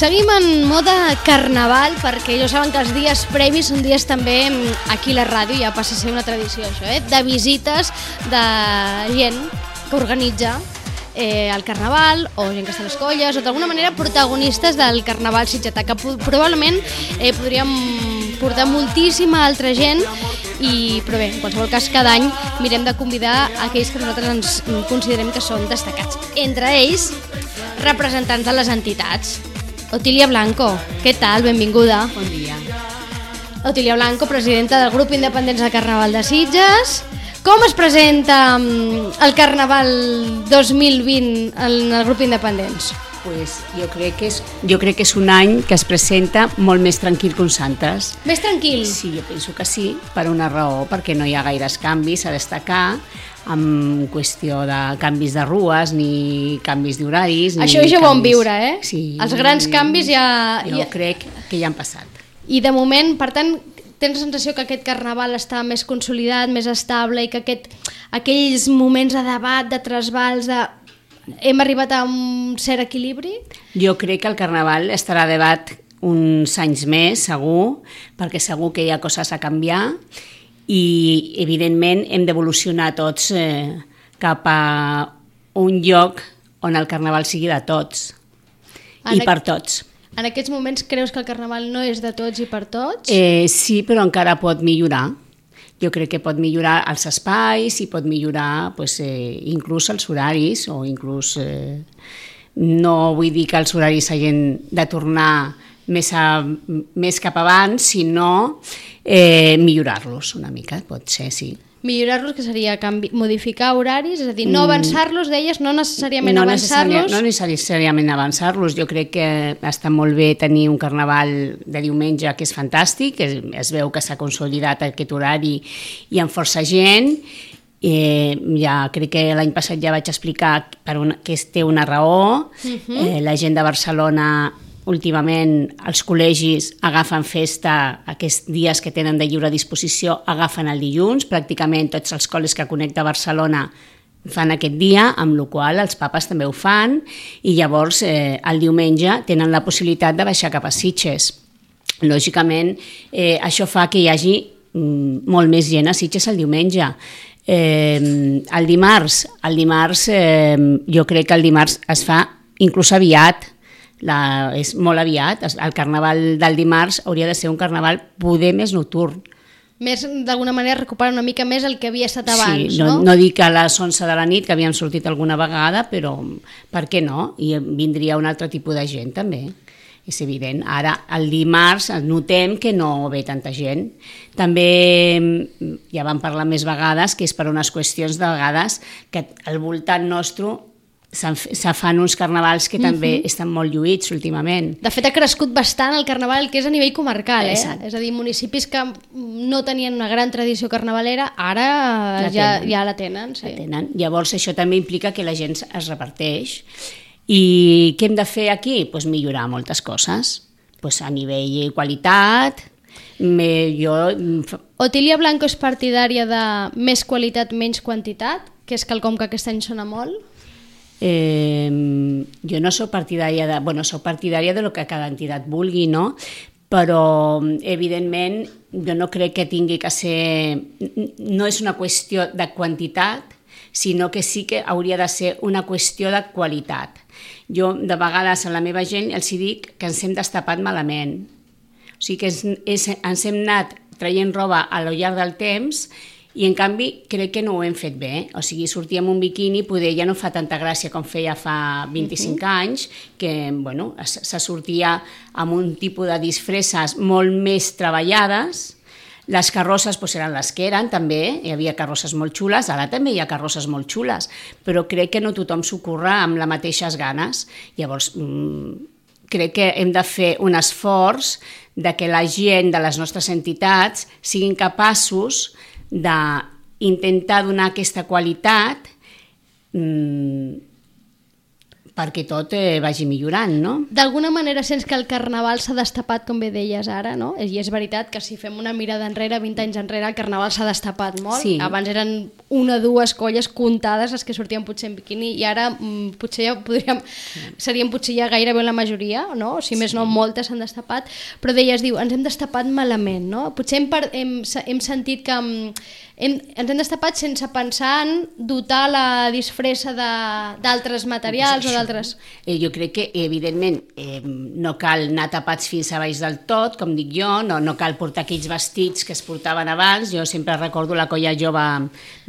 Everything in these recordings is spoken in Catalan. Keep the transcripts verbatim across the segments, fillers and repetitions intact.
Seguim en moda carnaval, perquè ja saben que els dies previs són dies també aquí a la ràdio, ja passa a ser una tradició això, eh? De visites de gent que organitza eh, el carnaval, o gent que està a les colles, o d'alguna manera protagonistes del carnaval sitgetà, que probablement eh, podríem portar moltíssima altra gent, i, però bé, en qualsevol cas, cada any mirem de convidar aquells que nosaltres ens considerem que són destacats. Entre ells, representants de les entitats. Otília Blanco, què tal? Benvinguda. Bon dia. Otília Blanco, presidenta del grup Independents de Carnaval de Sitges. Com es presenta el Carnaval dos mil vint en el grup Independents? Pues jo crec que és, jo crec que és un any que es presenta molt més tranquil que uns altres. Més tranquil? Sí, jo penso que sí, per una raó, perquè no hi ha gaires canvis a destacar, en qüestió de canvis de rues, ni canvis d'horaris... Això ja ho vam viure, eh? Sí. Els grans canvis ja... Jo ja... crec que ja han passat. I de moment, per tant, tens la sensació que aquest carnaval està més consolidat, més estable, i que aquest, aquells moments de debat, de trasbals, de... hem arribat a un cert equilibri? Jo crec que el carnaval estarà a debat uns anys més, segur, perquè segur que hi ha coses a canviar, i evidentment hem d'evolucionar tots eh, cap a un lloc on el carnaval sigui de tots en i per tots. En aquests moments creus que el carnaval no és de tots i per tots? Eh, sí, però encara pot millorar. Jo crec que pot millorar els espais i pot millorar pues, eh, inclús els horaris, o inclús eh, no vull dir que els horaris hagin de tornar més, a, més cap abans, sinó eh, millorar-los una mica, pot ser, sí. Millorar-los, que seria canvi, modificar horaris, és a dir, no avançar-los, deies, no necessàriament no avançar-los? No necessàriament avançar-los, jo crec que està molt bé tenir un carnaval de diumenge que és fantàstic, es, es veu que s'ha consolidat aquest horari i amb força gent. Eh, ja crec que l'any passat ja vaig explicar per una, que té una raó. Uh-huh. eh, la gent de Barcelona últimament, els col·legis agafen festa, aquests dies que tenen de lliure disposició agafen el dilluns, pràcticament tots els col·legis que connecta Barcelona fan aquest dia, amb la qual cosa els papes també ho fan, i llavors eh, el diumenge tenen la possibilitat de baixar cap a Sitges. Lògicament, eh, això fa que hi hagi mm, molt més gent a Sitges el diumenge. Eh, el dimarts, el dimarts eh, jo crec que el dimarts es fa inclús aviat, la, és molt aviat, el carnaval del dimarts hauria de ser un carnaval poder més nocturn. Més, d'alguna manera, recuperar una mica més el que havia estat abans, sí, no? no? No dic a les onze de la nit, que havíem sortit alguna vegada, però per què no? I vindria un altre tipus de gent també. És evident. Ara, el dimarts, notem que no ve tanta gent. També, ja vam parlar més vegades, que és per unes qüestions de vegades que al voltant nostre se fan uns carnavals que també uh-huh. estan molt lluïts últimament. De fet, ha crescut bastant el carnaval que és a nivell comarcal, eh? Exacte. És a dir, municipis que no tenien una gran tradició carnavalera, ara la ja, ja la tenen. Sí. La tenen. Llavors, això també implica que la gent es reparteix. I què hem de fer aquí? Pues millorar moltes coses. Pues a nivell qualitat, me, jo... Otília Blanco és partidària de més qualitat, menys quantitat, que és quelcom que aquest any sona molt? Eh, jo no soc partidària de... Bueno, soc partidària de lo que cada entitat vulgui, no? Però, evidentment, jo no crec que tingui que ser... No és una qüestió de quantitat, sinó que sí que hauria de ser una qüestió de qualitat. Jo, de vegades, a la meva gent els dic que ens hem destapat malament. O sigui que és, és, ens hem anat traient roba a lo llarg del temps i, en canvi, crec que no ho hem fet bé. O sigui, sortir amb un biquini poder ja no fa tanta gràcia com feia fa vint-i-cinc uh-huh. anys, que, bueno, se sortia amb un tipus de disfresses molt més treballades. Les carrosses pues, eren les que eren, també, hi havia carrosses molt xules, ara també hi ha carrosses molt xules, però crec que no tothom s'ho curra amb les mateixes ganes. Llavors, mmm, crec que hem de fer un esforç de que la gent de les nostres entitats siguin capaços d'intentar donar aquesta qualitat mmm, perquè tot eh, vagi millorant, no? D'alguna manera sents que el carnaval s'ha destapat, com bé deies ara, no? I és veritat que si fem una mirada enrere, vint anys enrere, el carnaval s'ha destapat molt. Sí. Abans eren una o dues colles comptades les que sortien potser en biquini i ara mm, potser ja podríem, serien potser ja gairebé la majoria, no? Si més no, moltes s'han destapat, però deies, diu, ens hem destapat malament, no? Potser hem, hem, hem sentit que hem, ens hem destapat sense pensar en dotar la disfressa d'altres materials o d'altres... Eh, jo crec que, evidentment, eh, no cal anar tapats fins a baix del tot, com dic jo, no, no cal portar aquells vestits que es portaven abans. Jo sempre recordo la colla jove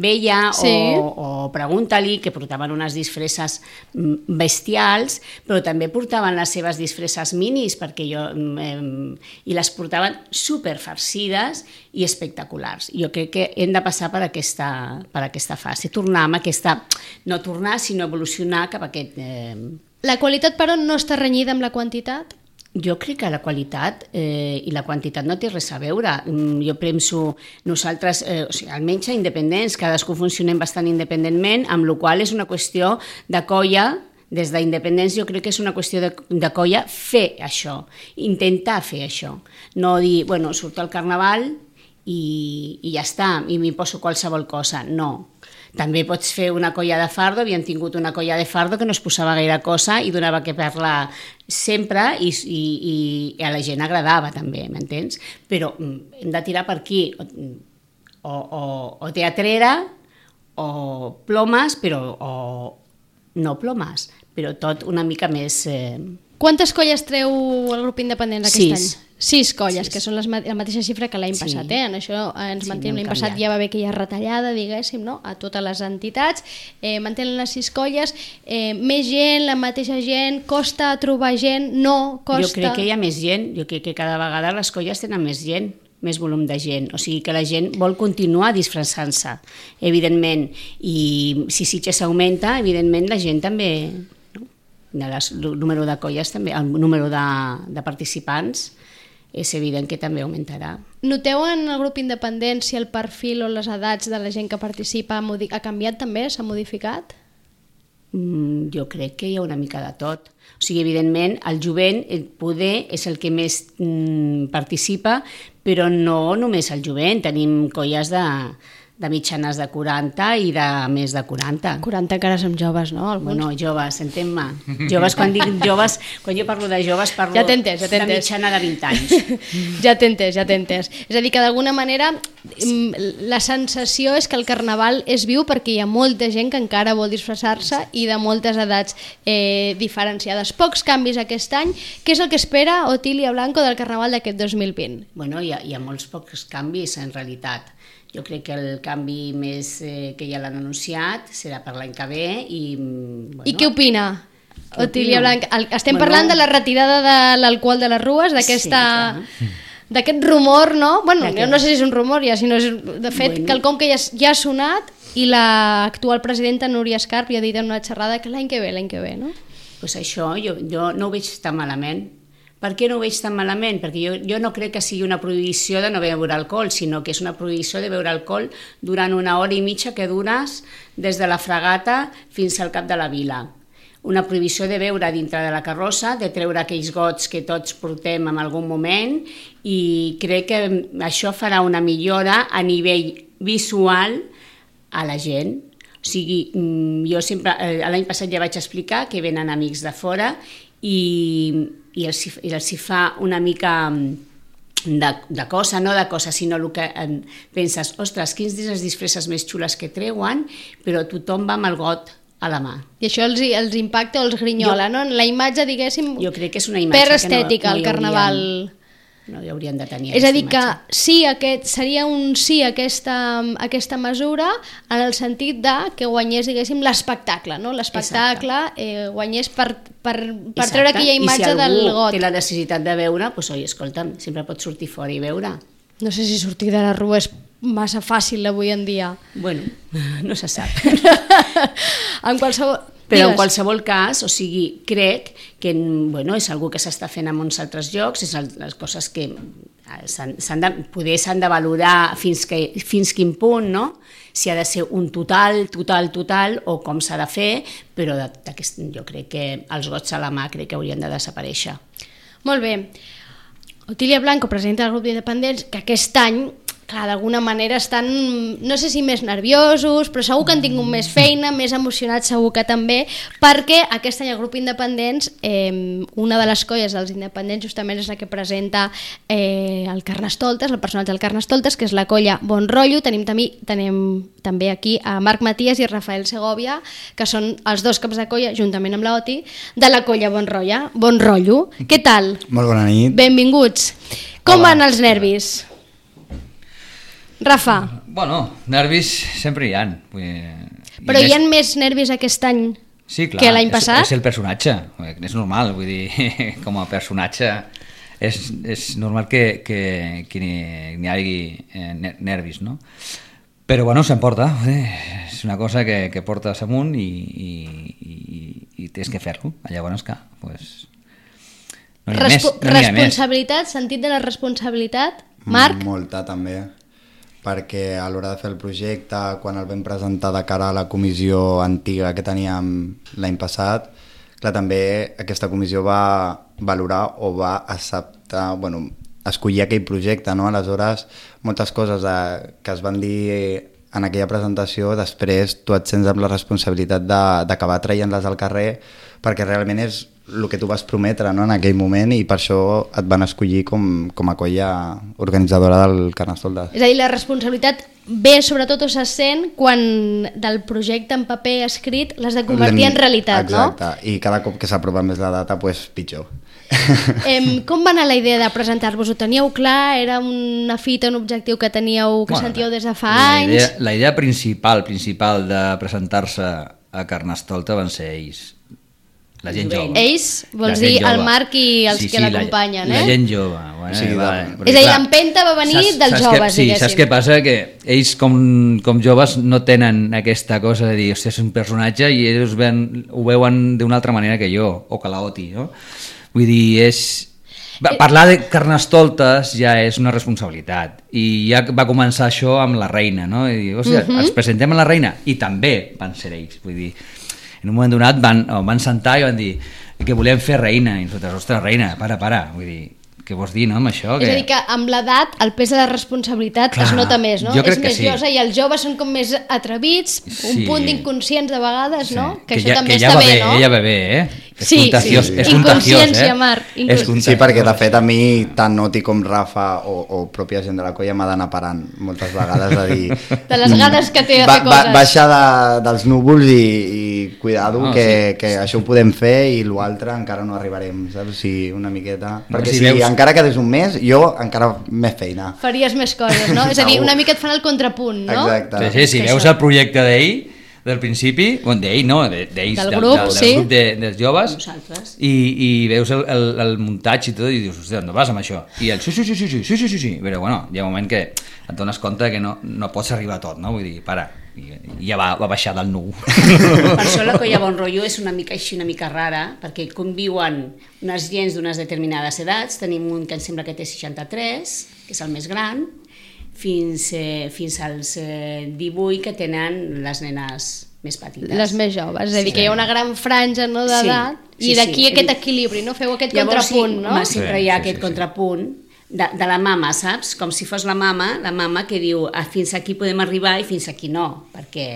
vella, sí. o, o Pregunta-li, que portaven unes disfresses bestials, però també portaven les seves disfresses minis, perquè jo, eh, i les portaven superfarcides i espectaculars. Jo crec que hem de passar per aquesta, per aquesta fase, tornar amb aquesta, no tornar, sinó evolucionar cap a aquest... Eh... La qualitat, però, no està renyida amb la quantitat? Jo crec que la qualitat eh, i la quantitat no té res a veure. Jo penso, nosaltres, eh, o sigui, almenys a independents, cadascú funcionem bastant independentment, amb la qual és una qüestió de colla. Des d'independents jo crec que és una qüestió de, de colla fer això, intentar fer això. No dir, bueno, surto al carnaval i, i ja està, i m'hi poso qualsevol cosa. No. També pots fer una colla de fardo, havíem tingut una colla de fardo que no es posava gaire cosa i donava que parlar sempre i, i, i a la gent agradava també, m'entens? Però hem de tirar per aquí, o, o, o teatrera, o plomes, però o no plomes, però tot una mica més... Eh... Quantes colles treu el grup independent aquest Sis. any? Sis colles, Sis. que són les, la mateixa xifra que l'any sí. passat. Eh? En això ens sí, mantenim. No l'any passat ja va haver aquella retallada, diguéssim, no? A totes les entitats. Eh, mantenen les sis colles. Eh, més gent, la mateixa gent, costa trobar gent, no costa... Jo crec que hi ha més gent, jo crec que cada vegada les colles tenen més gent, més volum de gent, o sigui que la gent vol continuar disfressant-se, evidentment, i si Sitges augmenta, evidentment la gent també, no? El número de colles també, el número de, de participants és evident que també augmentarà. Noteu en el grup independent si el perfil o les edats de la gent que participa ha canviat també, s'ha modificat? Mm, jo crec que hi ha una mica de tot. O sigui, evidentment, el jovent, el poder, és el que més mm, participa, però no només el jovent, tenim colles de, de mitjanes de quaranta i de més de quaranta. quaranta encara som joves, no? Alguns. Bueno, joves, entén-me. Joves, quan dic joves, quan jo parlo de joves, parlo ja entès, ja de mitjana de vint anys. Ja t'he entès, ja t'he entès. És a dir, que d'alguna manera la sensació és que el carnaval és viu perquè hi ha molta gent que encara vol disfressar-se i de moltes edats eh, diferenciades. Pocs canvis aquest any. Què és el que espera Otília Blanco del carnaval d'aquest dos mil vint? Bueno, hi ha, hi ha molts pocs canvis, en realitat. Jo crec que el canvi més eh, que ja l'han anunciat serà per l'any que ve i... Bueno, I què opina? Otília Blanco? Estem bueno, parlant de la retirada de l'alcohol de les rues, d'aquesta... Sí, d'aquest rumor, no? Bueno, jo no sé si és un rumor ja, sinó és, de fet, bueno. quelcom que ja, ja ha sonat i l'actual presidenta Núria Escarp ja ha dit en una xerrada que l'any que ve, l'any que ve, no? Pues això jo, jo no ho veig tan malament. Per què no ho veig tan malament? Perquè jo, jo no crec que sigui una prohibició de no beure alcohol, sinó que és una prohibició de beure alcohol durant una hora i mitja que dures des de la Fragata fins al cap de la vila. Una prohibició de beure dintre de la carrossa, de treure aquells gots que tots portem en algun moment, i crec que això farà una millora a nivell visual a la gent. O sigui, jo sempre, l'any passat ja vaig explicar que venen amics de fora i, i, els, i els hi fa una mica de, de cosa, no de cosa, sinó el que eh, penses, ostres, quins les disfresses més xules que treuen, però tothom va amb el got a la mà. I això els, els impacta o els grinyola, jo, no? La imatge, diguéssim, jo crec que és una imatge per estètica, que no, no el carnaval... Haurien, no hi haurien de tenir. És a dir, que sí, aquest, seria un sí aquesta, aquesta mesura en el sentit de que guanyés, diguéssim, l'espectacle, no? L'espectacle eh, guanyés per, per, per treure aquella imatge del got. I si algú té la necessitat de veure, doncs, oi, escolta'm, sempre pots sortir fora i veure. No sé si sortir de la rua és massa fàcil avui en dia. Bueno, no se sap. En qualsevol... Però en Digues. qualsevol cas, o sigui, crec que bueno, és algo que s'està fent en uns altres llocs, és el, les coses que s'han, s'han de, poder s'han de valorar fins, que, fins quin punt, no? Si ha de ser un total, total, total, o com s'ha de fer, però jo crec que els gots a la mà crec que haurien de desaparèixer. Molt bé. Otília Blanco, presidenta del grup d'independents, que aquest any, clar, d'alguna manera estan, no sé si més nerviosos, però segur que han tingut més feina, més emocionats segur que també, perquè aquest any el grup independents, eh, una de les colles dels independents justament és la que presenta eh, el Carnestoltes, el personatge del Carnestoltes, que és la colla Bon Rotllo. Tenim, també, tenim també aquí a Marc Matías i Rafael Segovia, que són els dos caps de colla, juntament amb l'Oti, de la colla Bon Rotllo. Bon Rotllo. Què tal? Molt bona nit. Benvinguts. Com Hola. van els nervis? Rafa. Bueno, nervis sempre hi ha. Vull dir, Però i hi ha més- més nervis aquest any sí, clar, que l'any és- passat? És el personatge, és normal, vull dir, com a personatge és, és normal que, que, que n'hi n'hi hagi eh, ner- nervis, no? Però bueno, s'emporta, és una cosa que, que portes amunt i, i, i, i tens que fer-lo. Llavors, clar, pues, no n'hi ha més. Respo No n'hi ha més. responsabilitat, sentit de la responsabilitat? Marc? Molta, també. Perquè a l'hora de fer el projecte, quan el vam presentar de cara a la comissió antiga que teníem l'any passat, clar, també aquesta comissió va valorar o va acceptar, bueno, escollir aquell projecte, no? Aleshores, moltes coses de, que es van dir en aquella presentació, després tu et sents amb la responsabilitat de- d'acabar traient-les al carrer, perquè realment és el que tu vas prometre, no? En aquell moment, i per això et van escollir com, com a colla organitzadora del Carnestoltes. És a dir, la responsabilitat ve sobretot o se sent quan del projecte en paper escrit l'has de convertir en realitat, Exacte, i cada cop que s'aprova més la data, pues, pitjor. no? Em, com va anar la idea de presentar-vos? Ho teníeu clar? Era una fita, un objectiu que teníeu, que Bueno, sentíeu des de fa la anys? idea, la idea principal principal de presentar-se a Carnestolta van ser ells, la gent jove. Ells, vols La gent dir el jove. Marc i els Sí, que sí, l'acompanyen, la, eh? La gent jove. Bueno, Sí, va, de- perquè, És a dir, clar, l'empenta va venir saps- dels saps joves, que, sí, diguéssim. saps què passa? Que ells com, com joves no tenen aquesta cosa de dir, hòstia, és un personatge, i ells ven, ho veuen d'una altra manera que jo, o que l'Oti, no? Vull dir, és... Va, parlar de Carnestoltes ja és una responsabilitat, i ja va començar això amb la reina, no? I dir, hòstia, Mhm. ens presentem a la reina, i també van ser ells, vull dir, en un moment donat van, van sentar i van dir que volem fer reina, i nosaltres, ostres, reina, para, para, vull dir, què vols dir, no, amb això? És a dir, que amb l'edat el pes de la responsabilitat Clar, es nota més, no? jo crec És que més sí. josa, i els joves són com més atrevits, un Sí. punt d'inconscients de vegades, no? Que, això ja, també que ja està va bé, bé, no? ella va bé, eh? És Sí, contagiós, sí. és contagiós, Inconsciència, eh? Marc, És inconsciència. contagiós. Sí, perquè de fet a mi, tant Noti com Rafa o, o pròpia gent de la colla m'ha d'anar parant moltes vegades a dir... De les ganes que té de ba fer coses. Baixar de, dels núvols i, i cuidado, No, que, sí. que això ho podem fer i l'altre encara no arribarem, saps? Sí, una miqueta... No, Perquè si si, veus- encara quedés un mes, jo encara més feina. Faries més coses, no? És a dir, Segur. una mica et fan el contrapunt, no? Exacte. Sí, sí, si Que veus això- el projecte d'ell, del principi, bueno, d'ell no, de- d'ells, Del del, grup, del, del sí. grup de, dels joves, Nosaltres. i, i veus el, el, el muntatge i tot, i dius, hòstia, no vas amb això? I el sí, sí, sí, sí, sí, sí, sí, sí, sí. Però bueno, hi ha un moment que et dones compte que no, no pots arribar a tot, no? Vull dir, para, i, i ja va, va baixar del nu. Per això la colla Bon Rotllo és una mica així, una mica rara, perquè conviuen unes gens d'unes determinades edats. Tenim un que em sembla que té seixanta-tres, que és el més gran, fins, eh, fins als eh, divuit que tenen les nenes més petites. Les més joves, és a dir, Sí. que hi ha una gran franja, no, d'edat, Sí, sí, i d'aquí sí. aquest equilibri, no? Feu aquest Llavors, contrapunt, sí, no? home, sempre Sí, hi ha sí, aquest sí, sí. contrapunt de, de la mama, saps? Com si fos la mama, la mama que diu ah, fins aquí podem arribar i fins aquí no. Perquè,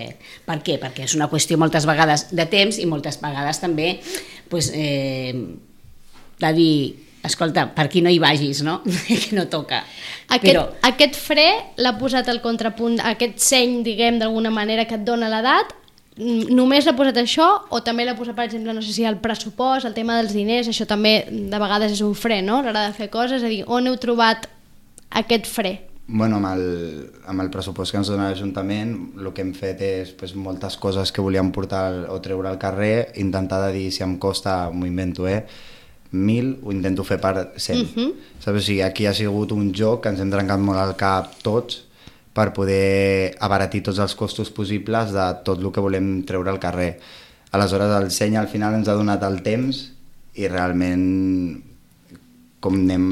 per què? Perquè és una qüestió moltes vegades de temps i moltes vegades també pues, eh, de dir escolta, per aquí no hi vagis, no? Que no toca. Aquest, Però, aquest fre l'ha posat el contrapunt, aquest seny, diguem, d'alguna manera que et dona l'edat, mm, només l'ha posat això o també l'ha posat, per exemple, no sé si el pressupost, el tema dels diners, això també de vegades és un fre, no? A l'hora de fer coses, és a dir, on heu trobat aquest fre? Bueno, amb el, amb el pressupost que ens dona l'Ajuntament, el que hem fet és pues, moltes coses que volíem portar al- o treure al carrer, intentar de dir si em costa, m'ho invento, eh? mil, ho intento fer per cent. Uh -huh. Saps? O sigui, aquí ha sigut un joc que ens hem trencat molt al cap tots per poder abaratir tots els costos possibles de tot el que volem treure al carrer. Aleshores el seny al final ens ha donat el temps i realment com anem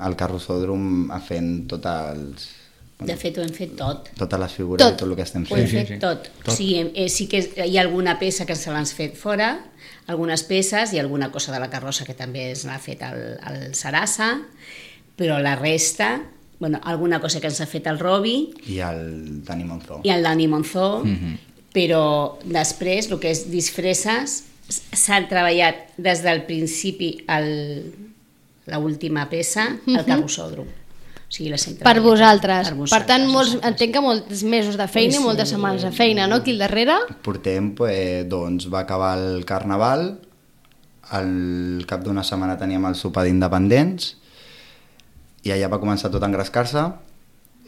al carrossòdrom a fent tots els... De fet, ho hem fet tot. Totes les figures Tot. i tot el que estem Ho hem fent. fet sí, sí. tot. Tot. O sigui, eh, sí que hi ha alguna peça que se l'han fet fora, algunes peces i alguna cosa de la carrossa que també se l'ha fet al, al Sarasa, però la resta, bueno, alguna cosa que ens ha fet el Robi I el Dani Monzó. i el Dani Monzó, Mhm. però després, el que és disfresses, s'ha treballat des del principi al l'última peça, al carrossòdrom. O sigui, les hem Per treballat vosaltres. per Per tant, molts, vosaltres. entenc que molts mesos de feina i Sí. moltes setmanes de feina, no? Aquí al darrere? Portem, pues, doncs va acabar el Carnaval, al cap d'una setmana teníem el sopar d'independents i allà va començar tot a engrescar-se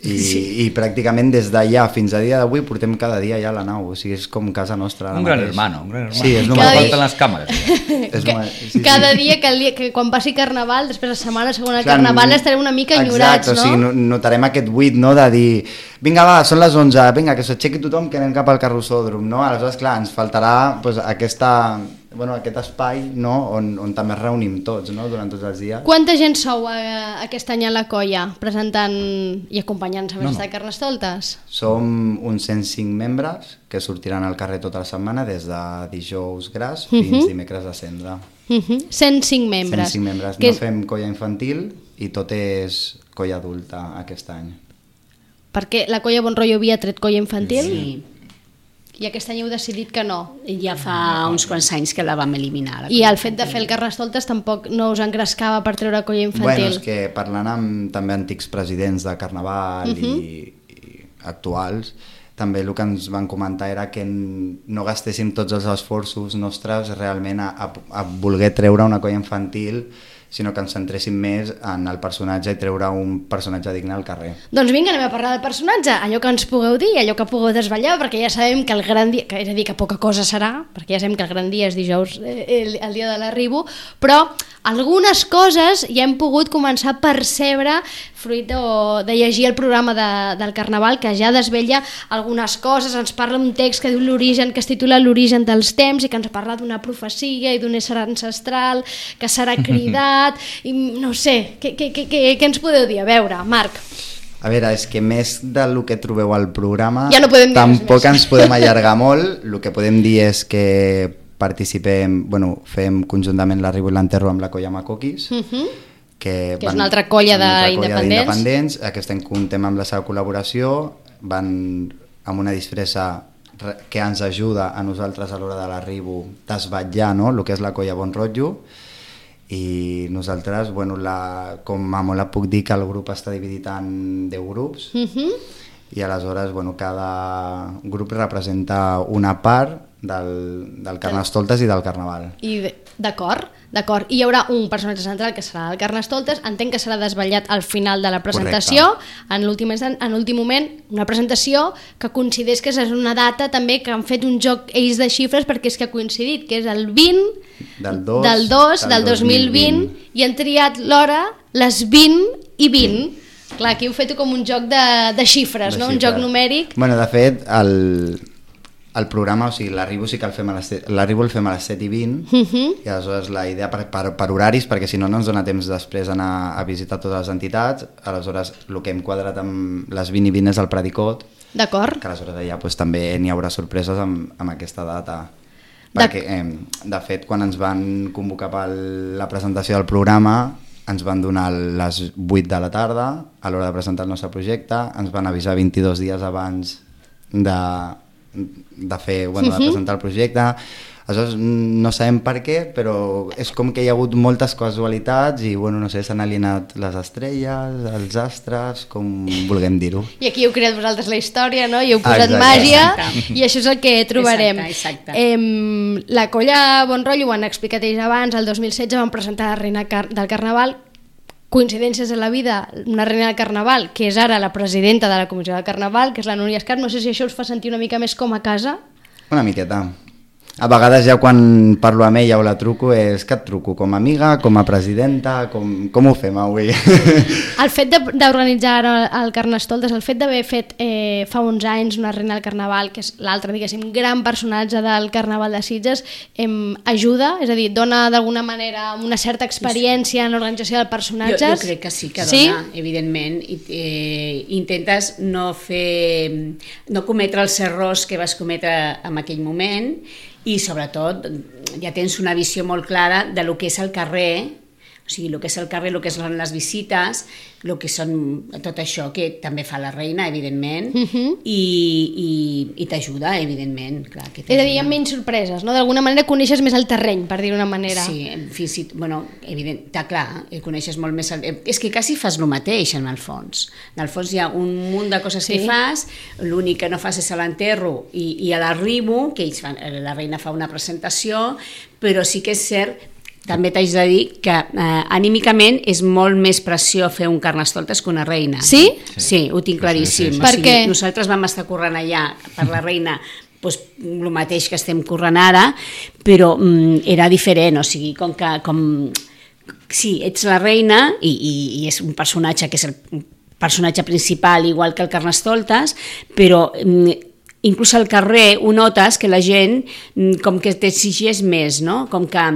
i, Sí. i pràcticament des d'allà fins a dia d'avui portem cada dia allà a la nau, o sigui, és com casa nostra ara Un gran mateix. hermano, un gran hermano. Sí, és no només- me falten les càmeres. Ja. És Que, molt- sí, sí. cada dia que, el dia que quan passi Carnaval, després la setmana segona de Clar, Carnaval, estarem una mica enyorats, exacte, o sigui, no? no- notarem aquest buit, no?, de dir vinga va, són les onze, vinga, que s'aixequi tothom que anem cap al carrossòdrom, no? Aleshores, clar, ens faltarà pues, aquesta, bueno, aquest espai, no?, on, on també es reunim tots, no?, durant tots els dies. Quanta gent sou eh, aquest any a la colla, presentant i acompanyant-se a No, més no. de Carnestoltes? Som uns cent cinc membres que sortiran al carrer tota la setmana des de dijous gras fins Mhm. dimecres de cendra. Uh -huh. cent cinc membres. cent cinc membres. Que No és- fem colla infantil i tot és colla adulta aquest any. Perquè la colla Bon Rotllo havia tret colla infantil Sí, i aquest any heu decidit que no. ja fa uns quants anys que la vam eliminar. la I colla el fet de fer el Carnestoltes tampoc no us engrescava per treure colla infantil. Bueno, és que parlant amb també antics presidents de Carnaval uh -huh. i, i actuals, també el que ens van comentar era que n- no gastéssim tots els esforços nostres realment a, a, a voler treure una colla infantil, sinó que ens centréssim més en el personatge i treure un personatge digne al carrer. Doncs vinga, anem a parlar del personatge, allò que ens pugueu dir, allò que pugueu desvetllar, perquè ja sabem que el gran dia, que és a dir, que poca cosa serà, perquè ja sabem que el gran dia és dijous, eh, el, el dia de l'arribo, però algunes coses ja hem pogut començar a percebre fruit de, de llegir el programa de, del Carnaval, que ja desvetlla algunes coses, ens parla un text que diu l'origen, que es titula L'origen dels temps i que ens parla d'una profecia i d'un ésser ancestral que serà cridat, i no sé, què, què, què, què, què ens podeu dir? A veure, Marc. A veure, és que més del que trobeu al programa Ja no podem dir res tampoc més. ens podem allargar molt. El que podem dir és que participem, bueno, fem conjuntament l'Arribo i l'Enterro amb la colla Macoquis, Uh -huh. que, Que és una altra colla és una altra d'independents. d'independents. Aquest any comptem amb la seva col·laboració, van amb una disfressa re- que ens ajuda a nosaltres a l'hora de l'arribo desvetllar, no?, el que és la colla Bon Rotllo, i nosaltres, bueno, la, com a molt et puc dir que el grup està dividit en deu grups, Uh -huh. i aleshores, bueno, cada grup representa una part del, del Carnestoltes i del Carnaval. I de- d'acord, d'acord. I hi haurà un personatge central que serà el Carnestoltes, entenc que serà desvetllat al final de la presentació, Correcte. en l'últim instant, en l'últim moment, una presentació que coincideix que és una data també que han fet un joc ells de xifres perquè és que ha coincidit, que és el vint Del dos, del dos del dos mil vint i han triat l'hora les vint i vint. Clar, aquí heu fet com un joc de, de xifres, De no? Un xifres. joc numèric. Bueno, de fet, el, el programa, o sigui, l'arribo sí que el fem a les set, l'arribo el fem a les set i vint, Uh -huh. i aleshores la idea per, per, per horaris, perquè si no no ens dona temps després d'anar a visitar totes les entitats, aleshores el que hem quadrat amb les vint i vint és el Predicot, D'acord. que aleshores allà pues, també n'hi haurà sorpreses amb, amb aquesta data. De- Perquè, eh, de fet, quan ens van convocar per la presentació del programa, ens van donar les vuit de la tarda a l'hora de presentar el nostre projecte, ens van avisar vint-i-dos dies abans de, de fer, bueno, de Mhm. presentar el projecte. Aleshores, no sabem per què, però és com que hi ha hagut moltes casualitats i, bueno, no sé, s'han alineat les estrelles, els astres, com vulguem dir-ho. I aquí heu creat vosaltres la història, no? I heu posat Exacte. màgia Exacte. i això és el que trobarem. Exacte, exacte. Em, la colla Bon Rotllo, ho han explicat ells abans, el dos mil setze van presentar la reina car del Carnaval, coincidències en la vida, una reina del Carnaval, que és ara la presidenta de la Comissió del Carnaval, que és la Núria Escar. No sé si això us fa sentir una mica més com a casa. Una miqueta. a vegades ja quan parlo amb ella o la truco és que et truco com a amiga, com a presidenta, com, com ho fem avui? El fet de- d'organitzar el, el Carnestoltes, el fet d'haver fet eh, fa uns anys una reina del Carnaval, que és l'altre, diguéssim, gran personatge del Carnaval de Sitges, em, ajuda? És a dir, dona d'alguna manera una certa experiència en l'organització de Jo, personatges? jo crec que sí que Sí? dona, evidentment. I, eh, intentes no fer, no cometre els errors que vas cometre en aquell moment i sobretot ja tens una visió molt clara de lo que és el carrer, o sigui, el que és el carrer, el que són les visites, el que són tot això que també fa la reina, evidentment, Mhm. i, i, i t'ajuda, evidentment. Clar, que És a dir, hi t'ajuda. ha menys sorpreses, no? D'alguna manera coneixes més el terreny, per dir-ho d'una manera. Sí, fins i tot, bueno, evident, està clar, eh, coneixes molt més... El, és que quasi fas el mateix, en el fons. En el fons hi ha un munt de coses Sí. que fas, l'únic que no fas és a l'enterro i, i a l'arribo, que ells fan, la reina fa una presentació, però sí que és cert, també t'haig de dir que eh, anímicament és molt més pressió fer un Carnestoltes que una reina. Sí? Sí, ho tinc claríssim. Sí, sí, sí. O Per sigui, què? nosaltres vam estar corrent allà per la reina doncs, el mateix que estem corrent ara, però mm, era diferent, o sigui, com que... Com, sí, ets la reina i, i, i és un personatge que és el personatge principal, igual que el Carnestoltes, però mm, inclús al carrer ho notes que la gent mm, com que t'exigeix més, no? Com que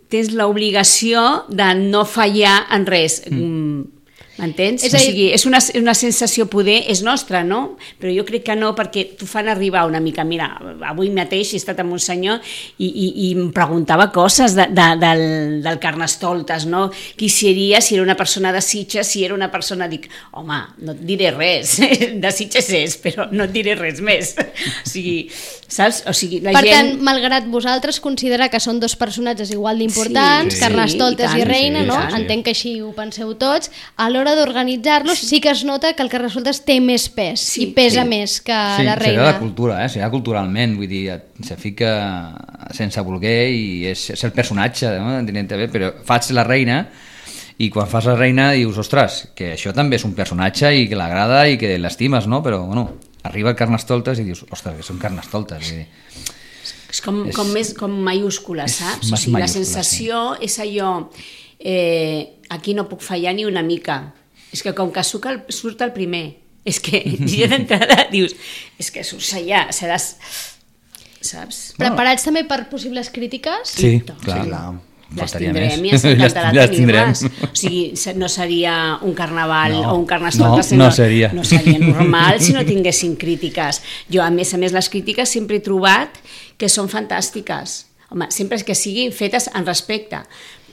tens l'obligació de no fallar en res. Mm. M'entens? És O a dir- sigui, és una, una sensació poder, és nostra, no? Però jo crec que no, perquè t'ho fan arribar una mica. Mira, avui mateix he estat amb un senyor i, i, i em preguntava coses de, de, del, del Carnestoltes, no? Qui seria, si era una persona de Sitges, si era una persona... Dic, home, no et diré res, de Sitges és, però no et diré res més. O sigui, saps? O sigui, la Per gent... tant, malgrat vosaltres considerar que són dos personatges igual d'importants, Sí, sí, Carnestoltes sí, i, i tant, reina, sí, no? sí, sí. Entenc que així ho penseu tots. A l'hora d'organitzar-los sí que es nota que el Carnestoltes té més pes Sí, i pesa sí. més que Sí, la seria reina. la cultura, eh? seria culturalment, vull dir, se fica sense voler i és, és el personatge, no? Entenent-te bé, però faig la reina i quan fas la reina dius, ostres, que això també és un personatge i que l'agrada i que l'estimes, no? Però, bueno, arriba el Carnestoltes i dius, ostres, que són Carnestoltes. Vull dir, És com, És- com, més, com mayúscula, és saps? O més sigui, la mayúscula, sensació és allò, eh, aquí no puc fallar ni una mica. És que com que surt el, surt el primer, és que ja d'entrada dius, és que surts allà, seràs... Saps? Preparats també per possibles crítiques? sí, Doncs, clar, sí, clar. Les faltaria tindrem més. i ens encantarà Les- les tenir-les. tindrem. O sigui, se- no seria un carnaval No, o un Carnestoltes, no, no seria. no seria normal si no tinguessin crítiques. Jo, a més a més, les crítiques sempre he trobat que són fantàstiques. Home, sempre que siguin fetes en respecte.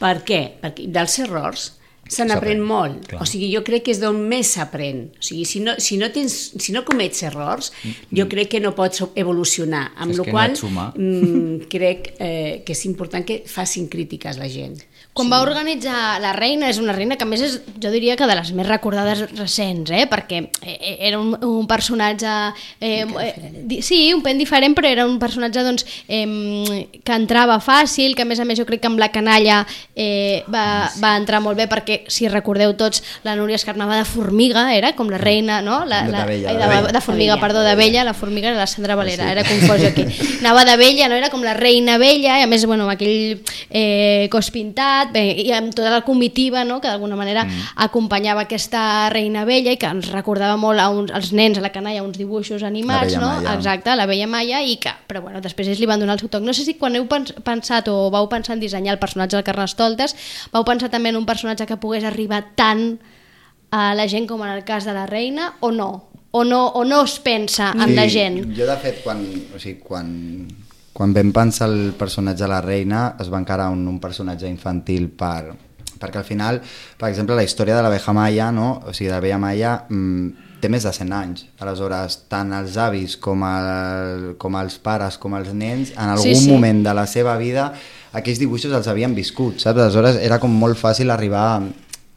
Per què? Perquè dels errors se n'aprèn S'aprèn, molt. clar. O sigui, jo crec que és d'on més s'aprèn. O sigui, si no, si no, tens, si no comets errors, jo crec que no pots evolucionar. Amb És la que qual no et suma. mm, crec eh, que és important que facin crítiques la gent. Quan va organitzar la reina, és una reina que a més és, jo diria que de les més recordades recents, eh? Perquè eh, era un, un personatge... Eh, eh, di- sí, un pen diferent, però era un personatge doncs, eh, que entrava fàcil, que a més a més jo crec que amb la canalla eh, va, va entrar molt bé, perquè si recordeu tots, la Núria Escarnava de Formiga era com la reina, no? La, De la, Vella, ai, de de, Vella. de Formiga, De Vella. perdó, de Vella, la Formiga era la Sandra Valera, era confós jo aquí. Anava de Vella, no? Era com la reina Vella, i a més, bueno, amb aquell eh, cos pintat, bé, i amb tota la comitiva, no? Que d'alguna manera mm. acompanyava aquesta reina Vella i que ens recordava molt a uns, als nens a la canalla uns dibuixos animats, La Vella no? Maia. Exacte, la Vella Maia, i que, però bueno, després ells li van donar el seu toc. No sé si quan heu pens pensat o vau pensar en dissenyar el personatge del Carnestoltes, vau pensar també en un personatge que pogués arribar tant a la gent com en el cas de la reina, o no? O no, o no es pensa en la gent? Jo, de fet, quan, o sigui, quan, quan vam pensar el personatge de la reina, es va encarar un, un personatge infantil per, perquè al final, per exemple, la història de la Veja Maia, no? O sigui, de la Vella Maia, mmm, té més de cent anys. Aleshores, tant els avis com, el, com els pares com els nens, en algun Sí, sí. moment de la seva vida, aquells dibuixos els havien viscut, saps? Aleshores, era com molt fàcil arribar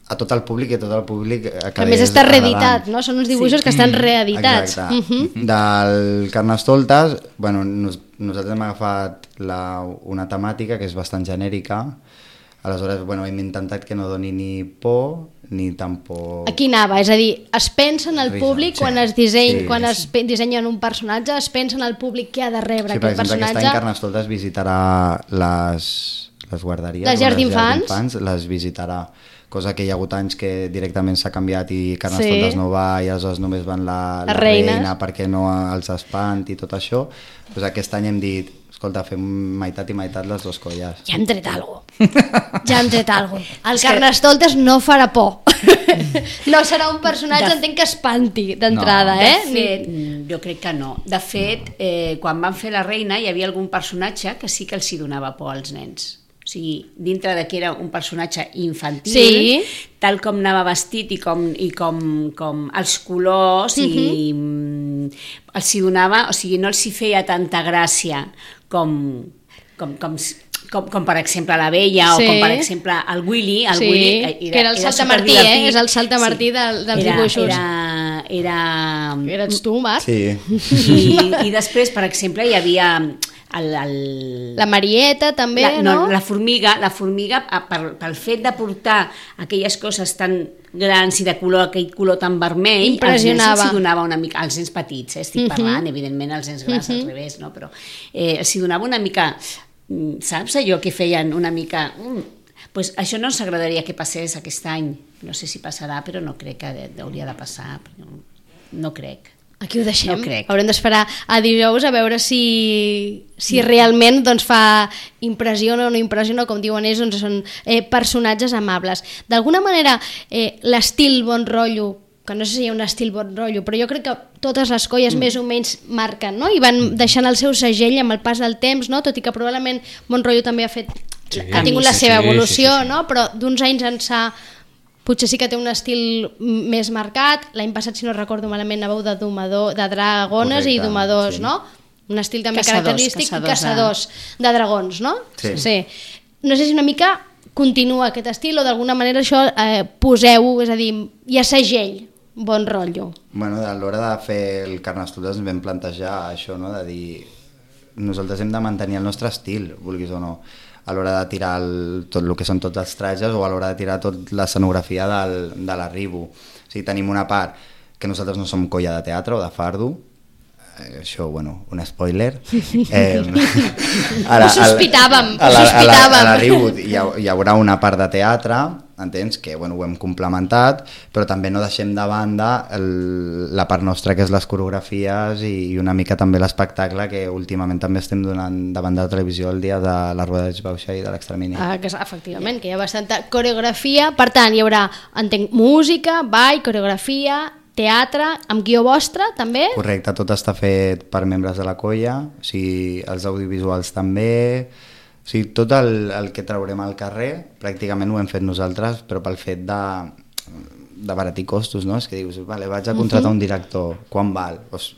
a tot el públic i a tot el públic Que a més està reeditat, no? Són uns dibuixos sí. que estan reeditats. Exacte. Uh -huh. Del Carnestoltes, bueno, nos, nosaltres hem agafat la, una temàtica que és bastant genèrica. Aleshores, bueno, hem intentat que no doni ni por ni tampoc... Aquí anava, és a dir, es pensa en el Risa, públic sí. quan es, disseny, Sí, quan sí. es pe- dissenyen un personatge, es pensa en el públic que ha de rebre Sí, per aquest exemple, aquest any personatge. Carnestoltes visitarà les, les guarderies, Les o llars d'infants. les visitarà, cosa que hi ha hagut anys que directament s'ha canviat i Carnestoltes Sí. no va i aleshores només van la, Les la reines. reina perquè no els espanti i tot això. Pues aquest any hem dit, escolta, fem meitat i meitat les dues colles. Ja hem tret alguna cosa. Ja hem tret alguna cosa. El Carnestoltes no farà por. No serà un personatge, De- entenc que espanti d'entrada, No. eh? De fet, mm, jo crec que no. De fet, eh, quan van fer la reina hi havia algun personatge que sí que els hi donava por als nens. O sigui, dintre de que era un personatge infantil, Sí. tal com anava vestit i com, i com, com els colors, i mm, els hi donava, o sigui, no els hi feia tanta gràcia com, com, com, com, com per exemple la Bella, Sí. o com per exemple el Willy, el Sí, Willy era, que era el saltamartí, superdivertit. eh? És el saltamartí del- dels era, dibuixos. Era, era, Eres tu, Marc? Sí, i, i després, per exemple, hi havia el, el, La Marieta, també, la, no? La formiga, la formiga a- per, pel fet de portar aquelles coses tan grans i de color, aquell color tan vermell, Impressionava. als nens els hi donava una mica, als nens petits, eh, estic Mhm. parlant, evidentment els nens grans al revés, no? Però eh, els hi donava una mica, mm, saps allò que feien una mica... Mm, pues això no ens agradaria que passés aquest any, no sé si passarà, però no crec que de- hauria de passar, no, no crec. Aquí ho deixem. No crec. Haurem d'esperar a dijous a veure si, si realment doncs, fa impressiona o no impressiona, com diuen ells, doncs són eh, personatges amables. D'alguna manera, eh, l'estil bon rotllo, que no sé si hi ha un estil bon rotllo, però jo crec que totes les colles mm. més o menys marquen, no? I van deixant el seu segell amb el pas del temps, no? Tot i que probablement bon rotllo també ha fet, Sí, ha tingut la sí, seva sí, evolució, sí, sí, sí. no? Però d'uns anys ençà potser sí que té un estil més marcat. L'any passat, si no recordo malament, anàveu de domador, de dragones Correcte, i domadors, sí. no? Un estil també Caçadors, característic caçadors i caçadors de dragons, no? Sí. sí. No sé si una mica continua aquest estil o d'alguna manera això eh, poseu, és a dir, hi ha segell, bon rotllo. Bueno, a l'hora de fer el Carnestoltes ens vam plantejar això, no? De dir, nosaltres hem de mantenir el nostre estil, vulguis o no, a l'hora de tirar el, tot el que són tots els trajes o a l'hora de tirar tot l'escenografia del, de l'arribo. O sigui, tenim una part que nosaltres no som colla de teatre o de fardo, eh, això, bueno, un spoiler. Eh, Ho sospitàvem, ho a la- a la- sospitàvem. A l'arribo hi, ha, hi haurà una part de teatre, entens? Que bueno, ho hem complementat, però també no deixem de banda el, la part nostra que és les coreografies i, i una mica també l'espectacle que últimament també estem donant davant de la televisió el dia de la Rueda d'Exbauxa i de l'Extramini. Ah, que, és- efectivament, que hi ha bastanta coreografia, per tant, hi haurà, entenc, música, ball, coreografia, teatre, amb guió vostre, també? Correcte, tot està fet per membres de la colla, o sigui, els audiovisuals també, o sigui, tot el, el que traurem al carrer pràcticament ho hem fet nosaltres, però pel fet de, de baratir costos, no? És que dius, vale, vaig a contractar un director, quan val? Pues,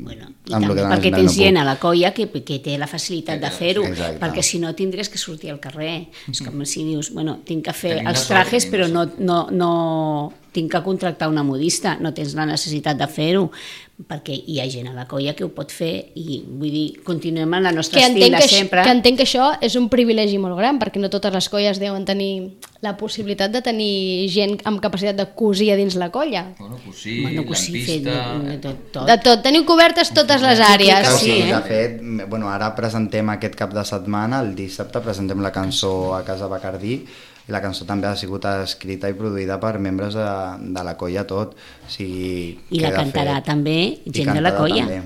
Bueno, i amb lo també que perquè no tens puc. gent a la colla que, que té la facilitat de fer-ho, Exacte. perquè si no tindries que sortir al carrer. És com si dius, bueno, tinc que fer Tenim la els sort, trajes, tenim però la no, no, no tinc que contractar una modista, no tens la necessitat de fer-ho, perquè hi ha gent a la colla que ho pot fer i vull dir, continuem amb la nostra Que estil entenc de que, sempre. que entenc que això és un privilegi molt gran, perquè no totes les colles deuen tenir la possibilitat de tenir gent amb capacitat de cosir a dins la colla. Bueno, pues sí, Bueno, que sí, fet lampista... de, de tot, tot. De tot, teniu cobertes totes les àrees. Clar, sí, sí, eh? de fet, bueno, ara presentem aquest cap de setmana, el dissabte presentem la cançó a Casa Bacardí, i la cançó també ha sigut escrita i produïda per membres de, de la colla tot. O sigui, I que la de cantarà fet- també i gent de la cantada colla. també.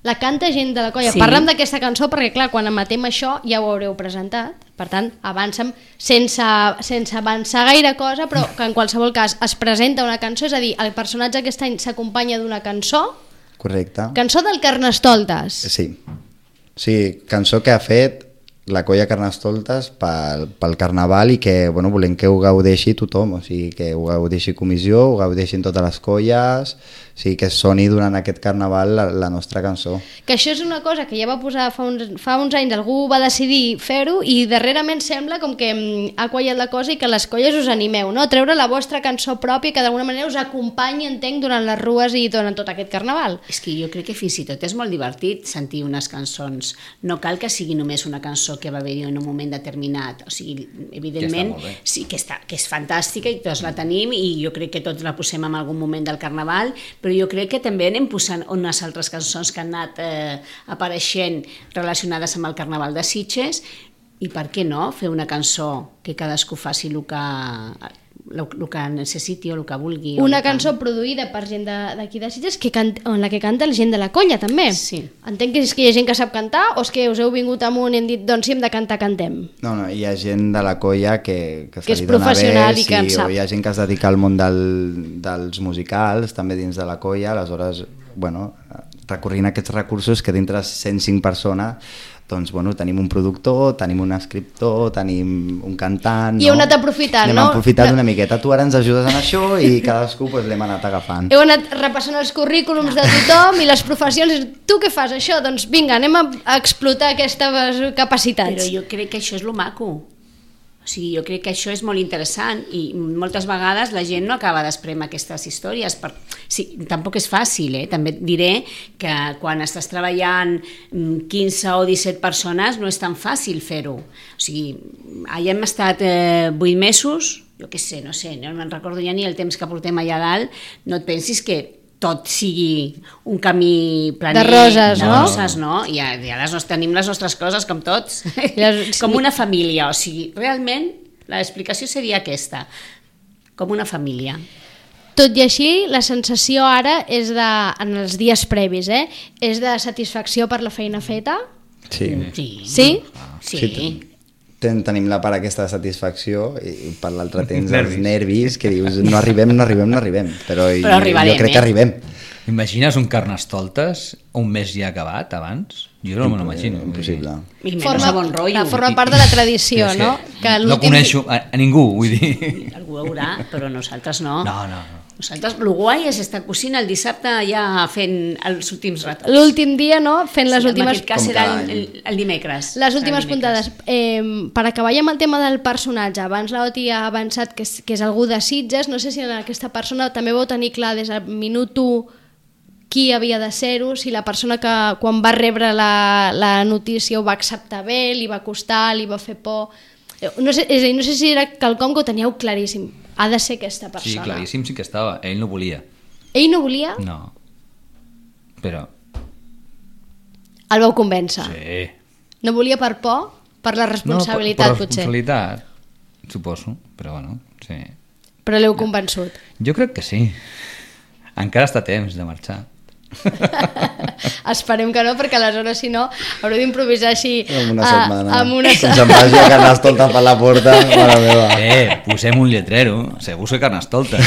La canta gent de la colla. Sí. Parlem d'aquesta cançó perquè, clar, quan emetem això ja ho haureu presentat. Per tant, avancem sense, sense avançar gaire cosa, però que en qualsevol cas es presenta una cançó, és a dir, el personatge aquest any s'acompanya d'una cançó, Correcte. cançó del Carnestoltes. Sí. Sí, cançó que ha fet la colla Carnestoltes pel, pel Carnaval i que bueno, volem que ho gaudeixi tothom, o sigui, que ho gaudeixi comissió, ho gaudeixin totes les colles, o sigui, que soni durant aquest Carnaval la, la nostra cançó. Que això és una cosa que ja va posar fa uns, fa uns anys, algú va decidir fer-ho i darrerament sembla com que mm, ha quallat la cosa i que les colles us animeu, no? A treure la vostra cançó pròpia que d'alguna manera us acompanyi, entenc, durant les rues i durant tot aquest Carnaval. És que jo crec que fins i tot és molt divertit sentir unes cançons. No cal que sigui només una cançó cançó que va haver-hi en un moment determinat. O sigui, evidentment, que sí, que, està, que és fantàstica i tots la tenim i jo crec que tots la posem en algun moment del Carnaval, però jo crec que també anem posant unes altres cançons que han anat eh, apareixent relacionades amb el Carnaval de Sitges i per què no fer una cançó que cadascú faci el que, el, el que necessiti o el que vulgui. Una que... cançó produïda per gent d'aquí de, de Sitges que can, en la que canta la gent de la colla també. Sí. Entenc que és que hi ha gent que sap cantar o és que us heu vingut amunt i hem dit doncs si hem de cantar, cantem. No, no, hi ha gent de la colla que, que, Que és se li dona professional bé, i que en sí, sap. o hi ha gent que es dedica al món del, dels musicals, també dins de la colla, aleshores, bueno, recorrint aquests recursos que dintre de cent cinc persones doncs, bueno, tenim un productor, tenim un escriptor, tenim un cantant... I heu anat aprofitant, Anem no? aprofitant No. una miqueta. Tu ara ens ajudes en això i cadascú pues, l'hem anat agafant. Heu anat repassant els currículums de tothom i les professions. Tu què fas, això? Doncs vinga, anem a a explotar aquestes capacitats. Però jo crec que això és lo maco. O sigui, jo crec que això és molt interessant i moltes vegades la gent no acaba d'espremar aquestes històries. Per... Sí, tampoc és fàcil, eh? També et diré que quan estàs treballant quinze o disset persones no és tan fàcil fer-ho. O sigui, allà hem estat eh, vuit mesos, jo què sé, no sé, no me'n recordo ja ni el temps que portem allà dalt, no et pensis que tot sigui un camí planer De roses, de no? roses, no? I ja, ja les, tenim les nostres coses, com tots, Les- com una família, o sigui, realment l'explicació seria aquesta, com una família. Tot i així, la sensació ara és de, en els dies previs, eh? És de satisfacció per la feina feta? Sí. Sí? Sí? Sí. Sí, ten, tenim la part aquesta de satisfacció i per l'altre tens Nervis. els nervis que dius no arribem, no arribem, no arribem. Però, Però arribarem, jo crec eh? que arribem. Imagines un Carnestoltes un mes ja acabat abans? Jo no me l'imagino. Impossible. I menys a bon rotllo. forma part de la tradició, És no? Que no l'últim- coneixo a, a ningú, vull dir... Algú haurà, però nosaltres no. No, no, no. Nosaltres, el guai és estar cosint el dissabte ja fent els últims retocs. L'últim dia, no? Fent les Sí, últimes... en aquest cas Com serà cada el, any. el, el dimecres. Les últimes El dimecres. puntades. Eh, per acabar ja amb el tema del personatge, abans l'Oti ha avançat que és, que és algú de Sitges, no sé si en aquesta persona també vau tenir clar des del minut u qui havia de ser-ho, si la persona que quan va rebre la, la notícia ho va acceptar bé, li va costar, li va fer por... Eh, No sé, és a dir, no sé si era quelcom que ho teníeu claríssim. Ha de ser aquesta Sí, persona. claríssim sí que estava. Ell no volia. Ell no volia? No. Però... El vau convèncer. Sí. No volia per por? Per la responsabilitat, no, per, per potser. responsabilitat, suposo, però bueno, sí. Però l'heu convençut. Jo crec que sí. Encara està a temps de marxar. Esperem que no, perquè aleshores, si no, haureu d'improvisar així Amb una a- setmana. amb una Com se'n vagi a Carnestoltes per la porta, mare meva. Eh, posem un lletrero, se busca Carnestoltes.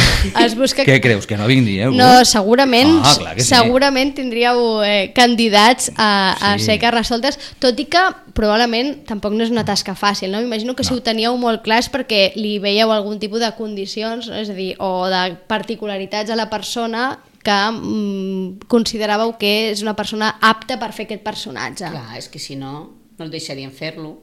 Es busca... Què creus, que no vindríeu? No, segurament, Ah, clar que sí. segurament tindríeu eh, candidats a, a Sí. ser carnestoltes, tot i que probablement tampoc no és una tasca fàcil, no? M'imagino que si No. ho teníeu molt clars perquè li veieu algun tipus de condicions, no? És a dir, o de particularitats a la persona que mm, consideràveu que és una persona apta per fer aquest personatge. Clar, és que si no, no el deixarien fer-lo.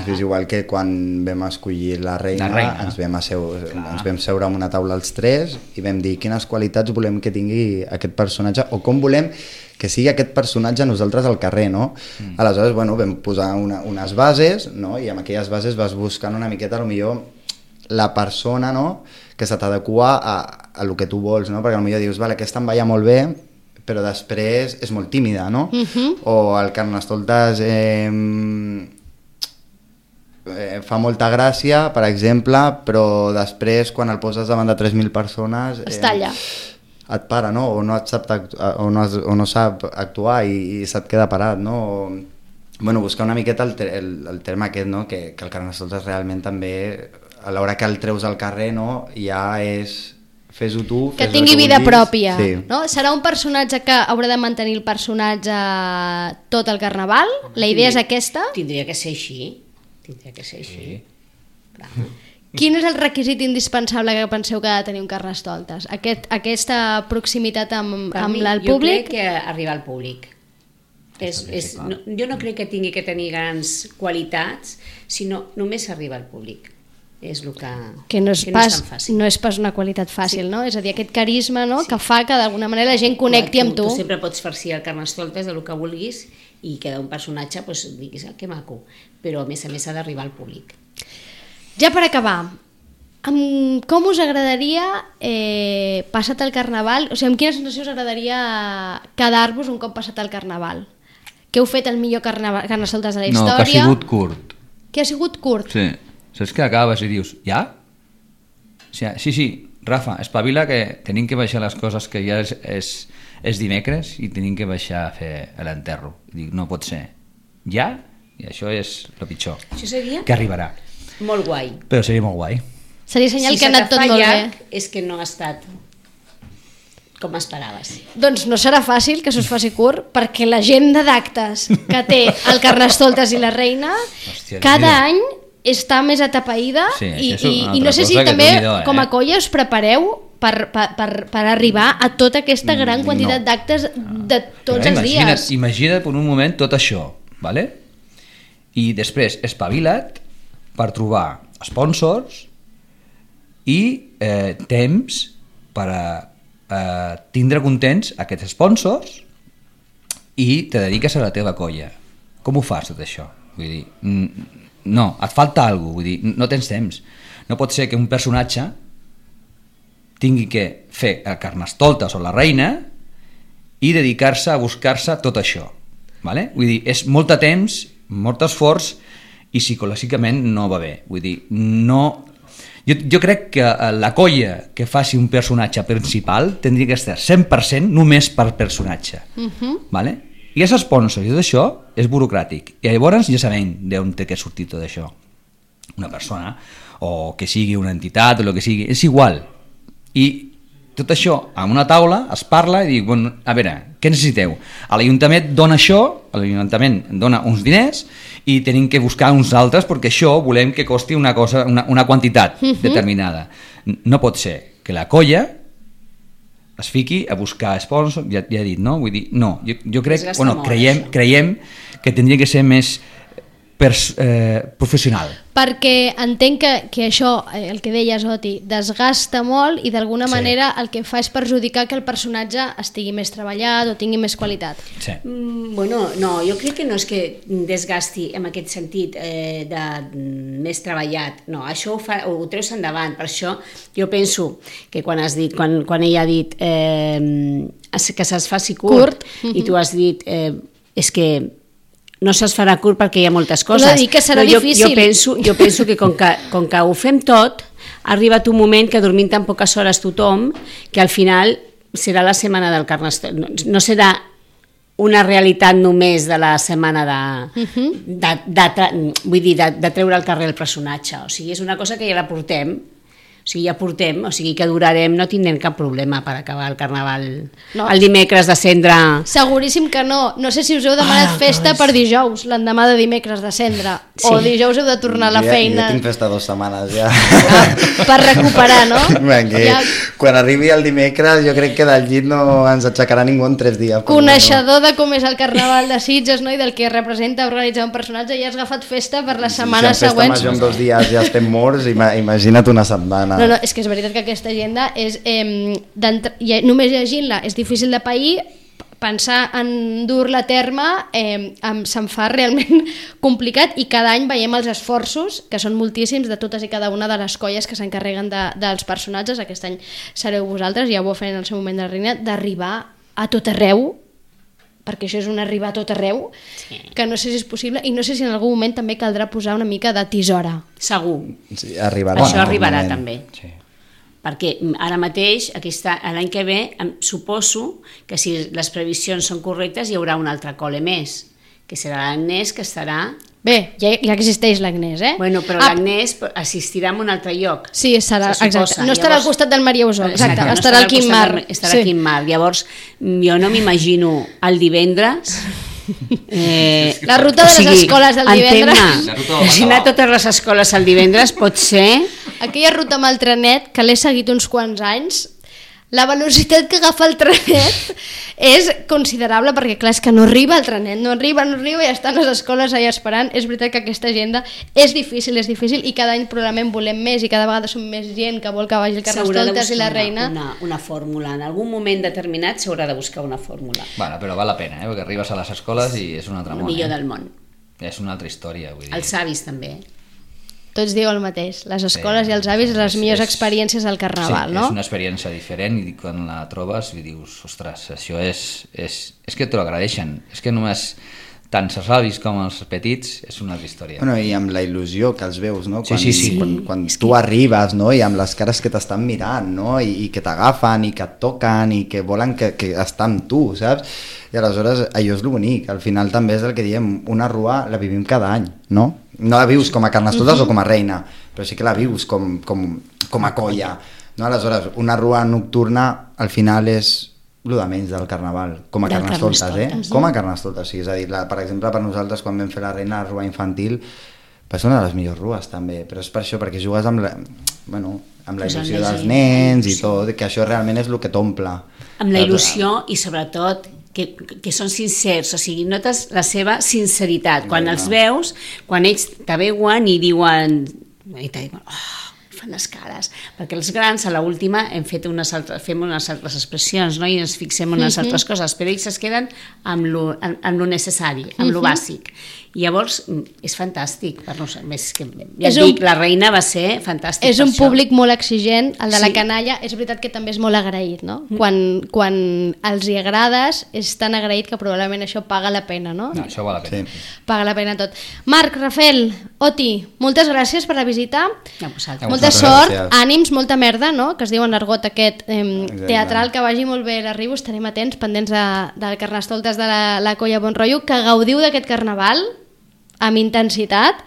És igual que quan vam escollir la reina, La reina. Ens, vam asseure, ens vam seure en una taula els tres i vam dir quines qualitats volem que tingui aquest personatge o com volem que sigui aquest personatge nosaltres al carrer, no? Mm. Aleshores, bueno, vam posar una, unes bases, no? I amb aquelles bases vas buscant una miqueta, potser la persona, no?, que se t'adequa a, a lo que tu vols, no? Perquè potser dius, vale, aquesta em veia molt bé, però després és molt tímida, no? Mhm. O el Carnestoltes eh, eh, fa molta gràcia, per exemple, però després quan el poses davant de tres mil persones... Es talla. Et para, no? O no, et sap, actu- o no, has- o no sap actuar i, i se't queda parat, no? O, bueno, buscar una miqueta el, te- el, el terme aquest, no? Que, que el Carnestoltes realment també, a l'hora que el treus al carrer, no? Ja és... Fes-ho tu, Que fes el tingui vida vulguis. pròpia. Sí. No? Serà un personatge que haurà de mantenir el personatge tot el carnaval? La idea és aquesta? Tindria que ser així. Tindria que ser així. Clar. Quin és el requisit indispensable que penseu que ha de tenir un Carnestoltes? Aquest, aquesta proximitat amb, Per amb mi, el jo públic? crec que arribar al públic. És, és, no, jo no crec que tingui que tenir grans qualitats, sinó només arribar al públic. És el que, Que no és, que pas, no és tan fàcil. no és pas una qualitat fàcil, sí. No? És a dir, aquest carisma, no?, sí. que fa que d'alguna manera la gent connecti amb tu. Tu sempre pots farcir el Carnestoltes de lo que vulguis i queda un personatge, doncs, diguis, que maco, però a més a més ha d'arribar al públic. Ja per acabar, amb, com us agradaria, eh, passat el Carnaval, o sigui, amb quina sensació us agradaria quedar-vos un cop passat el Carnaval? Que heu fet el millor carnaval, carnestoltes de la història? No, que ha sigut curt. Que ha sigut curt? Sí. Saps que acabes i dius, ja? Sí, sí, sí, Rafa, espavila que tenim que baixar les coses, que ja és, és, és dimecres i tenim que baixar a fer l'enterro. Dic, no pot ser. Ja? I això és el pitjor. Això seria? Que arribarà. Molt guai. Però seria molt guai. Seria senyal si que ha anat tot molt llarg, bé. És que no ha estat com esperaves. Doncs no serà fàcil que s'us faci curt, perquè l'agenda d'actes que té el Carnestoltes i la Reina Hòstia, cada mira. any està més atapeïda Sí, i, això és i, una i no altra sé si cosa que també Déu-n'hi-do, eh? com a colla us prepareu per, per, per, per arribar a tota aquesta gran Mm, quantitat no. d'actes de tots Però els imagina't, dies. Imagina't per un moment tot això, ¿vale? I després espavila't per trobar sponsors i eh, temps per a eh, tindre contents aquests sponsors i te dediques a la teva colla. Com ho fas tot això? Vull dir, mm, no, et falta alguna cosa, vull dir, no tens temps. No pot ser que un personatge tingui que fer el Carnestoltes o la Reina i dedicar-se a buscar-se tot això, ¿vale? Vull dir, és molt de temps, molt esforç i psicològicament no va bé. Vull dir, no... Jo, jo crec que la colla que faci un personatge principal tindria que estar cent per cent només per personatge, Uh-huh. ¿vale? I els sponsors i tot això és burocràtic i llavors ja sabem d'on té que sortir tot això. Una persona o que sigui una entitat o el que sigui, és igual. I tot això a una taula es parla i diu, bueno, a veure, què necessiteu? A l'Ajuntament dona això, a l'Ajuntament dona uns diners i tenim que buscar uns altres perquè això volem que costi una cosa, una, una quantitat uh-huh. determinada. No pot ser que la colla es fiqui a buscar sponsors, ja, ja he dit, no? Vull dir, no, jo, jo crec, Desgasta bueno, molt, creiem, això. creiem que tindria que ser més pers, eh, professional. Perquè entenc que, que això, eh, el que deies, Oti, desgasta molt i d'alguna Sí. manera el que fa és perjudicar que el personatge estigui més treballat o tingui més qualitat. Sí. Mm, bueno, no, jo crec que no és que desgasti en aquest sentit eh, de mm, més treballat, no, això ho, fa, ho treus endavant, per això jo penso que quan has dit, quan, quan ella ha dit eh, que se'ls faci curt, Curt, i tu has dit eh, és que no se'ls farà curt perquè hi ha moltes coses. Però dic que serà jo, difícil. Jo penso, jo penso que com, que com que ho fem tot, ha arribat un moment que dormint tan poques hores tothom, que al final serà la setmana del Carnestoltes. No, no serà una realitat només de la setmana de, Uh-huh. de, de, de, vull dir, de, de treure al carrer el personatge. O sigui, és una cosa que ja la portem, o sigui, ja portem, o sigui que durarem, no tindrem cap problema per acabar el Carnaval No. el dimecres de cendre. Seguríssim que no. No sé si us heu demanat Ah, festa per dijous, l'endemà de dimecres de cendre, Sí. o dijous heu de tornar a la Jo ja- feina Jo tinc festa dues setmanes ja. ah, per recuperar, no? Vinga, Ja, quan arribi el dimecres jo crec que del llit no ens aixecarà ningú en tres dies. però coneixedor de com és el Carnaval de Sitges, no? I del que representa organitzar un personatge, ja has agafat festa per les Si setmanes en festa següents. major en dos dies ja estem morts, ima- imagina't una setmana. No, no, és que és veritat que aquesta agenda és, eh, ja, només llegint-la és difícil de pair, pensar en dur-la a terme eh, em, se'm fa realment complicat i cada any veiem els esforços, que són moltíssims, de totes i cada una de les colles que s'encarreguen de, dels personatges. Aquest any sereu vosaltres, ja ho vau fer en el seu moment de la Reina, d'arribar a tot arreu, perquè això és un arribar a tot arreu, Sí. que no sé si és possible i no sé si en algun moment també caldrà posar una mica de tisora. Segur. Sí, arribarà. Això en algun arribarà moment. també. Sí. Perquè ara mateix, aquesta, l'any que ve, em suposo que si les previsions són correctes hi haurà un altre col·le més, que serà l'Agnès, que estarà... Bé, ja, ja existeix l'Agnès, eh? Bueno, però Ah, l'Agnès assistirà a un altre lloc. Sí, serà, se suposa. exacte. No estarà Llavors- al costat del Maria Usó, exacte, no estarà al Quim costat Mar. del- Estarà al Quim Mar. Llavors, jo no m'imagino el divendres... Eh, La ruta de les escoles del divendres. entén-me, La ruta del si anar a Bacalao. totes les escoles el divendres pot ser... Aquella ruta amb el trenet, que l'he seguit uns quants anys, la velocitat que agafa el trenet és considerable, perquè clar, és que no arriba el trenet, no arriba, no arriba i estan les escoles allà esperant. És veritat que aquesta agenda és difícil, és difícil, i cada any probablement volem més i cada vegada som més gent que vol que vagi el Carnestoltes i la Reina. Una, una fórmula, en algun moment determinat s'haurà de buscar una fórmula. Bueno, però val la pena, eh? Perquè arribes a les escoles i és un altre món. El millor eh? del món. És una altra història, vull dir. Els avis també. Tots diu el mateix, les escoles Sí, i els avis, les és- millors és- experiències del Carnaval, sí, no? és una experiència diferent i quan la trobes i dius, ostres, això és... És, és que t'ho agradeixen. És que només tant els avis com els petits és una altra història. Bueno, i amb la il·lusió que els veus, no? Sí, Quan, sí, sí. Quan, quan tu arribes, no? I amb les cares que t'estan mirant, no? I, i que t'agafen i que et toquen i que volen que, que estar amb tu, saps? I aleshores allò és el bonic. Al final també és el que diem, una rua la vivim cada any, no? No la vius com a Carnestoltes uh-huh. o com a reina, però sí que la vius com, com, com a colla, no? Aleshores, una rua nocturna al final és el de menys del Carnaval, com a Del Carnestoltes, eh? Carnestoltes, Com a Carnestoltes, sí, és a dir, la, per exemple, per nosaltres quan vam fer la reina, la rua infantil, va ser una de les millors rues també, però és per això, perquè jugues amb la, bueno, amb la Pues amb il·lusió la dels gent, nens i sí. tot, que això realment és el que t'omple. Amb la il·lusió i sobretot que, que són sincers, o sigui, notes la seva sinceritat. Quan els veus, quan ells te veuen i diuen, i te diuen, oh, fan les cares, perquè els grans a l'última hem fet unes altres, fem unes altres expressions, no? I ens fixem en unes altres coses, però ells es queden amb lo, amb, amb lo necessari, amb lo bàsic. I llavors és fantàstic, per no, més que, ja És et dic, un- la reina va ser fantàstic. És per un això. públic molt exigent, el de la Sí. canalla. És veritat que també és molt agraït, no? Quan, quan els hi agrades és tan agraït que probablement això paga la pena, no? No, això val la pena. Sí. Paga la pena tot. Marc, Rafael, Oti, moltes gràcies per la visita. A vosaltres. A Molta vosaltres, sort, gràcies. ànims, molta merda, no? Que es diu en argot aquest eh, Exacte. teatral, que vagi molt bé l'arribo, estarem atents, pendents de, del Carnestoltes de la, la Colla Bon Rotllo, que gaudiu d'aquest carnaval amb intensitat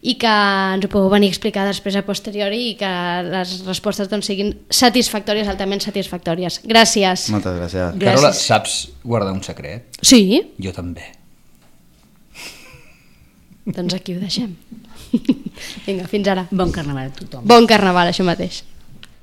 i que ens ho pugueu venir a explicar després a posteriori i que les respostes doncs, siguin satisfactòries, altament satisfactòries. Gràcies. Moltes gràcies. Gràcies. Carola, saps guardar un secret? Sí, Jo també. doncs aquí ho deixem. Vinga, fins ara. Bon carnaval a tothom. Bon carnaval, això mateix.